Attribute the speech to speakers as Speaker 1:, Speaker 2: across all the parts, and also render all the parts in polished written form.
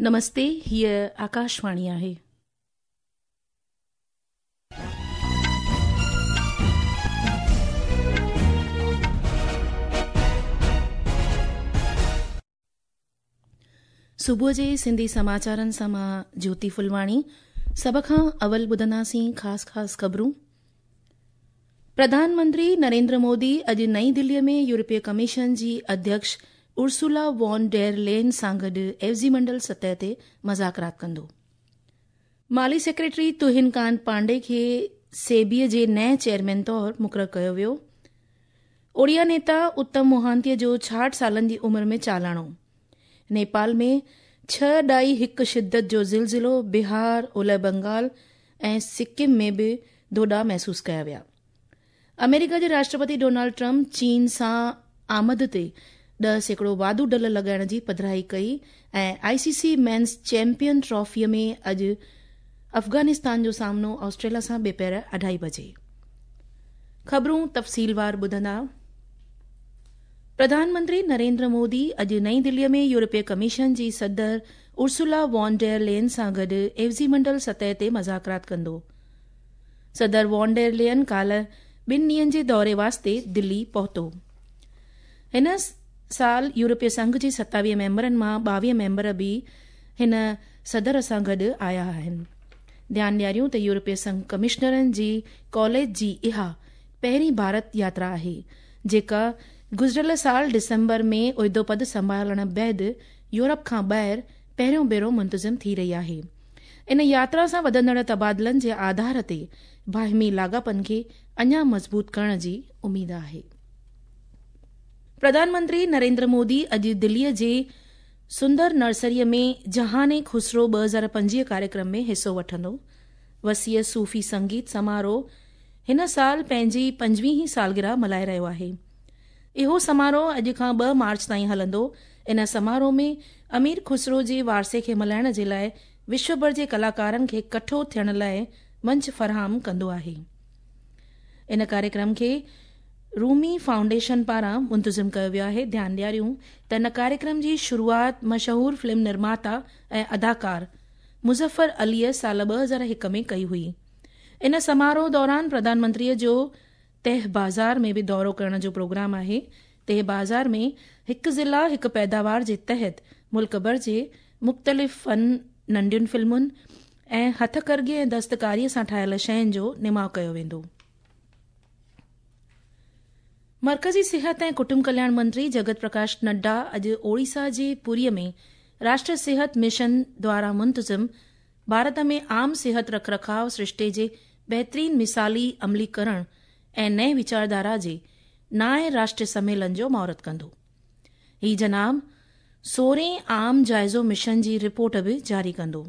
Speaker 1: نمستي هيء آڪاشواڻي آهي. صبح جي سنڌي سماچارن سان مان جيوتي ڦلواڻي سڀ کان اول ٻڌنداسين خاص خاص خبرون. پرڌان منتري نريندر مودي اڄ نئين دلي ۾ يورپي ڪميشن جي اڌيڪش ارسولا وان ڊير لين سان گڏ عيوضي منڊل سطح تي مذاڪرات ڪندو. مالي سيڪريٽري تهين ڪانت پانڊي کي سيبي جي نئين چيئرمين طور مقرر ڪيو ويو. اوڙيا نيتا اتم موهانتي جو 66 سالن جي عمر ۾ چالاڻو. نيپال ۾ 6.1 شدت جو زلزلو، بهار، اولهه بنگال ۽ سڪم ۾ به ڌوڏا محسوس ڪيا ويا. آمريڪا جي راشٽرپتي ڊونالڊ ٽرمپ چين سان آمد تي 10% واڌو ڍل لڳائڻ جي پڌرائي ڪئي ۽ I C C men's champion trophy ۾ اڄ افغانستان جو سامنو آسٽريليا سان ٻپهر 2:30 بجي. خبرون تفصيلوار ٻڌندا. پرڌان منتري نريندر مودي اڄ نئين دلي ۾ يورپي ڪميشن جي صدر ارسولا وان ڊير لين سان گڏ عيوضي منڊل سطح تي مذاڪرات ڪندو. صدر وان ڊير لين ڪالهه ٻن ڏينهن جي دوري واسطي دلي پهتو. هن سال يورپي سنگهه جي 27 ميمبرن مان 22 ميمبر به هن صدر سان گڏ آيا آهن. ڌيان ڏياريون ته يورپي سنگهه ڪمشنرن جي ڪاليج جي اها پهرين ڀارت ياترا آهي، جيڪا گذريل سال ڊسمبر ۾ عهدو پد سنڀالڻ بعد يورپ کان ٻاهر پهريون ڀيرو منتظم ٿي رهي آهي. ان ياترا سان وڌندڙ تبادلن جي آڌار تي باهمي لاڳاپن کي اڃا مضبوط ڪرڻ جي اميد آهي. پرڌان منتري نريندر مودي اڄ دليء جي سندر نرسريء ۾ جهان خسرو 2025 ڪاريڪرم ۾ حصو وٺندو. وسيع صوفي سنگيت سماروهه هن سال پنهنجي 25هين سالگرهه ملهائي رهيو آهي. اهو سماروهه اڄ کان 2 مارچ تائين هلندو. ان سماروهه ۾ امير خسرو جي وارثي کي ملهائڻ جي لاء وشو ڀر جي ڪلاڪارن کي ڪٺو ٿيڻ لاء منچ فراهم ڪندو آهي. ان ڪاريڪرم کي رومي فائونڊيشن پاران منتظم ڪيو ويو آهي. ڌيان ڏياريون ته ان ڪاريڪرم جي شروعات مشهور فلم نرماتا ۽ اداڪار مظفر عليء سال 2001 ۾ ڪئي هئي. ان سماروهه دوران پرڌان منتريء جو تهه بازار ۾ به دورو ڪرڻ جو پروگرام آهي. تهه بازار ۾ هڪ ضلع هڪ پيداوار جي تحت ملڪ ڀر جي مختلف فن، ننڍين فلمن ۽ هٿ ڪرگي ۽ دستڪاريء سان ٺاهيل شين جو نماء ڪيو ويندو. مرڪزي صحت ۽ ڪٽنب ڪلياڻ منتري جگت پرڪاش نڊا اڄ اوڙيسا جي پوريء ۾ راشٽر صحت مشن دوارا منتظم ڀارت ۾ عام صحت رک رکاء سرشتي جي بهترين مثالي عمليڪرڻ ۽ نئين ويچارڌارا جي نائين راشٽريه سميلن جو مهورت ڪندو. هي جناب سورهين عام جائزو مشن جي رپورٽ به جاري ڪندو.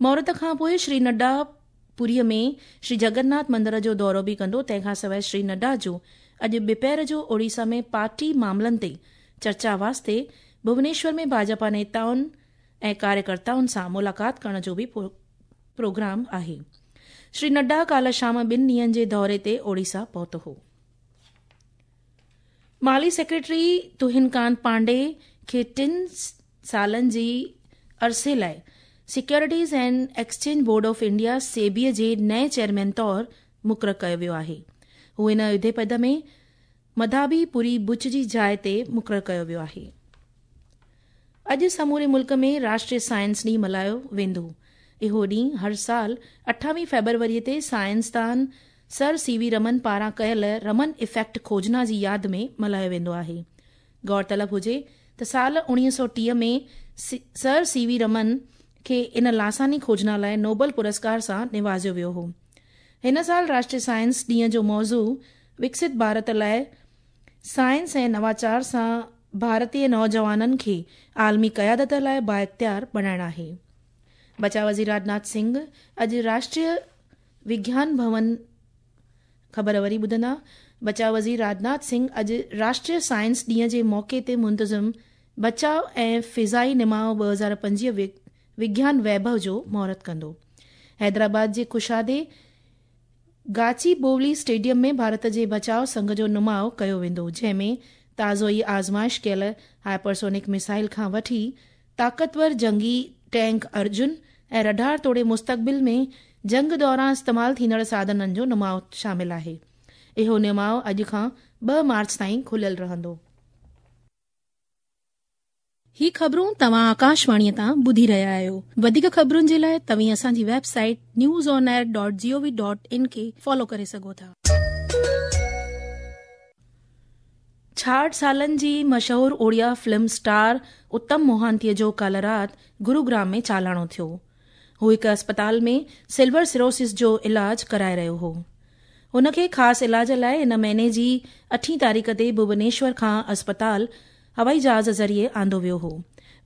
Speaker 1: مهورت کان پوء شري نڊا پوريء ۾ شري جگناٿ مندر جو دورو به ڪندو. تنهن کان سواء شري نڊا جو اڄ ٻپهر جو اوڙيسا ۾ پارٽي معاملن تي چرچا واسطي ڀونيشور ۾ ڀاجپا نيتائن ۽ ڪاريڪرتائن سان ملاقات ڪرڻ جو به پروگرام آهي. شري نڊا ڪالهه شام ٻن ڏينهن جي دوري تي اوڙيسا پهتو هو. مالي سيڪريٽري تهين ڪانت پانڊي کي 3 سالن جي عرصي لاء securities and exchange board of India SEBI جي نئين چيئرمين طور مقرر ڪيو ويو آهي. هو ان عهدي پد ۾ مڌابي پوري بچ جي جاء تي مقرر ڪيو ويو آهي. اڄ سموري ملڪ ۾ راشٽريه سائنس ڏينهن ملهايو ويندو. اهو ڏينهن هر سال 28 فيبروري تي سائنسدان سر سي وي رمن پاران ڪيل رمن افيڪٽ کوجنا جي ياد ۾ ملهايو ويندو آهي. غور طلب هجي ته سال 1930 ۾ سر سي وي رمن کي ان لاثاني کوجنا لاء نوبل پرسڪار سان نوازيو ويو هو. هن سال راشٽريه سائنس ڏينهن جو موضوع وڪست ڀارت لاء سائنس ۽ نواچار سان ڀارتي نوجوانن کي عالمي قيادت لاء بااختيار بڻائڻ آهي. بچاء وزير راجناٿ سنگهه اڄ راشٽريه وگيان ڀون خبر وري ٻڌندا. بچاء وزير راجناٿ سنگهه اڄ راشٽريه سائنس ڏينهن جي موقعي تي منتظم بچاء ۽ فضائي نماء 2025 وگيان ويڀو جو مهورت ڪندو. حيدرآباد جي ڪشادي گاچي بوولي اسٽيڊيم ۾ ڀارت جي بچاء سنگهه جو نماء ڪيو ويندو، جنهن ۾ تازو ئي آزمائش ڪيل هائپرسونڪ ميزائل کان وٺي طاقتور جنگي ٽينڪ ارجن ۽ رڊار توڙي مستقبل ۾ جنگ دوران استعمال ٿيندڙ ساڌنن جو نماء شامل آهي. اهو نماء اڄ کان 2 مارچ تائين کليل رهندو. هي خبرون توهان آڪاشواڻيء تان ٻڌي رهيا آهيو. وڌيڪ خبرن جي لاء توهين اسان جي website news on air dot G O V dot in کي فالو ڪري سگهو ٿا. 66 سالن جي مشهور اوڙيا فلم اسٽار اتم موهانتيء جو ڪالهه رات گروگرام ۾ چالاڻو ٿيو. هو هڪ اسپتال ۾ سلور سروسس جو علاج ڪرائي رهيو هو. هن کي خاص علاج لاء هن مهيني جي اٺين تاريخ تي ڀوبنيشور کان اسپتال هوائي جهاز ذريعي آندو ويو هو.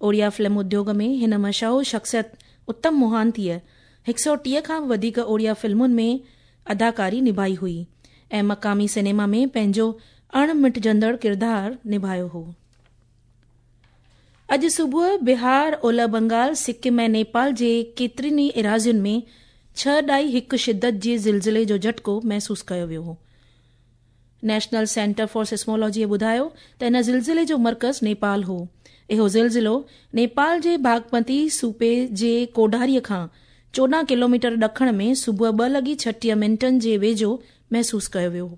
Speaker 1: اوڙيا فلم اديوگ ۾ هن مشهور شخصيت اتم موهانتيء 130 کان به وڌيڪ اوڙيا فلمن ۾ اداڪاري نڀائي هئي ۽ مقامي سئنيما ۾ پنهنجو اڻ مٽجندڙ ڪردار نڀايو هو. اڄ صبح بهار، اولهه بنگال، سڪم ۽ نيپال جي ڪيترين ئي ايراضين ۾ 6.1 شدت جي زلزلي جو جهٽڪو محسوس ڪيو ويو هو. نيشنل سينٽر فار سسمولاجيء ٻڌايو ته ان زلزلي جو مرڪز نيپال هو. اهو زلزلو نيپال جي باگمتي صوبي جي ڪوڍاريء کان 14 ڪلوميٽر ڏکڻ ۾ صبح 2:36 منٽن جي ويجهو محسوس ڪيو ويو.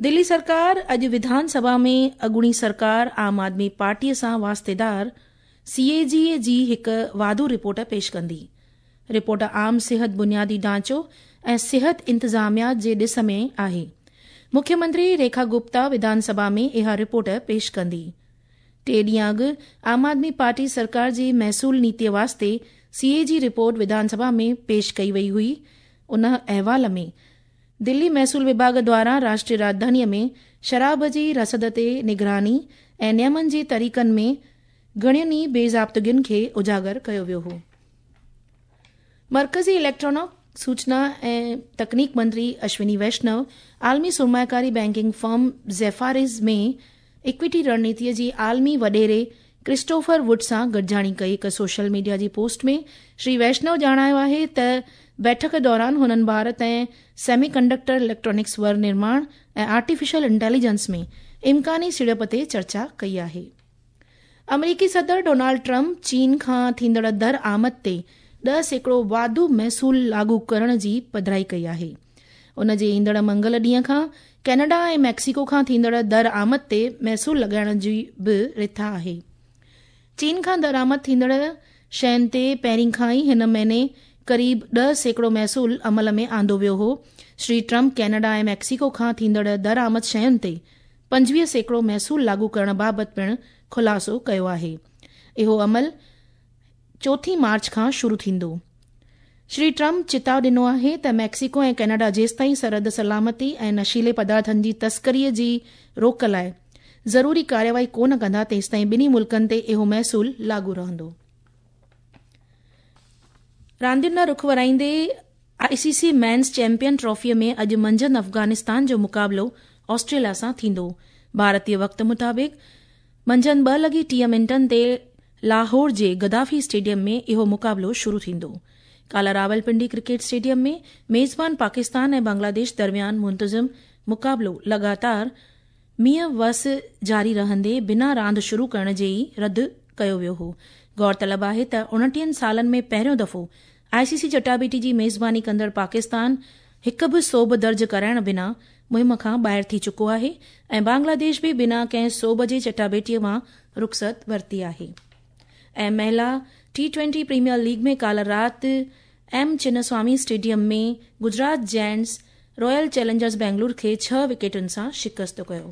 Speaker 1: دلي سرڪار اڄ وڌان سڀا ۾ اڳوڻي سرڪار عام آدمي پارٽيء سان واسطيدار سي اي جي جي هڪ واڌو رپورٽ پيش ڪندي. رپورٽ عام صحت بنيادي ڍانچو ۽ صحت انتظاميا جي ڏس ۾ آهي. مکيه منتري ريکا گپتا وڌان سڀا ۾ اها رپورٽ پيش ڪندي. ٽي ڏينهن اڳ عام آدمي پارٽي سرڪار جي محصول نيتي واسطي سي اي جي رپورٽ وڌان سڀا ۾ پيش ڪئي وئي هئي. ان احوال ۾ دلي محصول وڀاڳ دواران راشٽري راڄڌاني ۾ شراب جي رسد تي نگراني ۽ نيمن جي طريقن ۾ گهڻين ئي بي ضابطگين کي اجاگر ڪيو ويو هو. مرڪزي اليڪٽرانڪ سوچنا ۽ تڪنيڪ منتري اشوني ويشنو عالمي سرمائيڪاري بئنڪنگ فرم زيفاريز ۾ ايڪويٽي رڻنيتي جي عالمي وڏيري ڪرسٽوفر ووڊ سان گڏجاڻي ڪئي. هڪ سوشل ميڊيا جي پوسٽ ۾ شري ويشنو ڄاڻايو آهي ته بيٺڪ دوران هنن ڀارت ۽ سيمي ڪنڊڪٽر اليڪٽرانڪس ور نرماڻ ۽ آرٽيفيشل انٽيليجنس ۾ امڪاني سيڙپ تي چرچا ڪئي آهي. آمريڪي صدر ڊونالڊ ٽرمپ چين کان ٿيندڙ در آمد تي 10% واڌو محصول لاڳو ڪرڻ جي پڌرائي ڪئي آهي. ان جي ايندڙ منگل ڏينهن کان ڪينيڊا ۽ ميڪسيڪو کان ٿيندڙ در آمد تي محصول لڳائڻ جي به رٿا آهي. چين کان درآمد ٿيندڙ شين تي پهرين کان ئي هن مهيني قريب 10% محصول عمل ۾ آندو ويو هو. شري ٽرمپ ڪينيڊا ۽ ميڪسيڪو کان ٿيندڙ درآمد شين تي 25% محصول لاڳو ڪرڻ بابت پڻ خلاصو ڪيو آهي. اهو عمل چوٿين مارچ کان شروع ٿيندو. شري ٽرمپ چتاء ڏنو آهي ته ميڪسيڪو ۽ ڪينيڊا جيستائين سرحد سلامتي ۽ نشيلي پدارٿن جي تسڪري جي روڪ لاء ضروري ڪارروائي ڪونه ڪندا تيستائين ٻنهي ملڪن تي اهو محصول لاڳو رهندو. راندين ڏانهن رخ ورائيندي I C C men's champion ٽرافيء ۾ اڄ منجهند افغانستان جو مقابلو آسٽريليا سان ٿيندو. ڀارتي وقت مطابق منجهند 2:30 تي لاهور جي گدافي اسٽيڊيم ۾ اهو مقابلو شروع ٿيندو. ڪالهه راولپنڊي ڪرڪيٽ اسٽيڊيم ۾ ميزبان پاڪستان ۽ بنگلاديش درميان منتظم مقابلو لڳاتار مينهن وس جاري رهندي بنا راند شروع ڪرڻ جي ئي رد ڪيو ويو هو. غور طلب آهي ته 29 سالن ۾ پهريون دفعو آء سي سي چٽاڀيٽي جي ميزباني ڪندڙ پاڪستان هڪ به سوڀ درج ڪرائڻ بنا مهم کان ٻاهر ٿي چڪو آهي ۽ بنگلاديش به بنا ڪنهن سوڀ جي چٽاڀيٽي مان رخصت ورتي آهي. ۽ مهلا ٽي ٽوئنٽي پريميئر ليگ ۾ ڪالهه رات M Chinnaswamy stadium ۾ Gujarat giants royal challengers Bangalore کي ڇهه وڪيٽن سان شڪست ڪيو.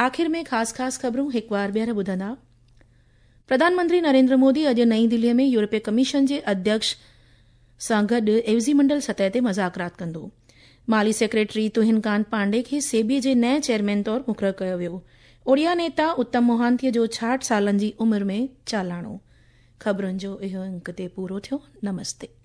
Speaker 1: آخر ۾ خاص خاص خبرون هڪ وار ٻيهر ٻڌندا. پرڌان منتري نريندر مودي اڄ نئين دهلي ۾ يورپي ڪميشن جي اڌيڪش سان گڏ عيوضي منڊل سطح تي مذاڪرات ڪندو. مالي سيڪريٽري تهين ڪانت پانڊي کي سيبي جي نئين چيئرمين طور مقرر ڪيو ويو. اوڙيا نيتا اتم موهانتي جو 66 سالن جي عمر ۾ چالاڻو. خبرن جو اهو انڪ تي پورو ٿيو. نمستي.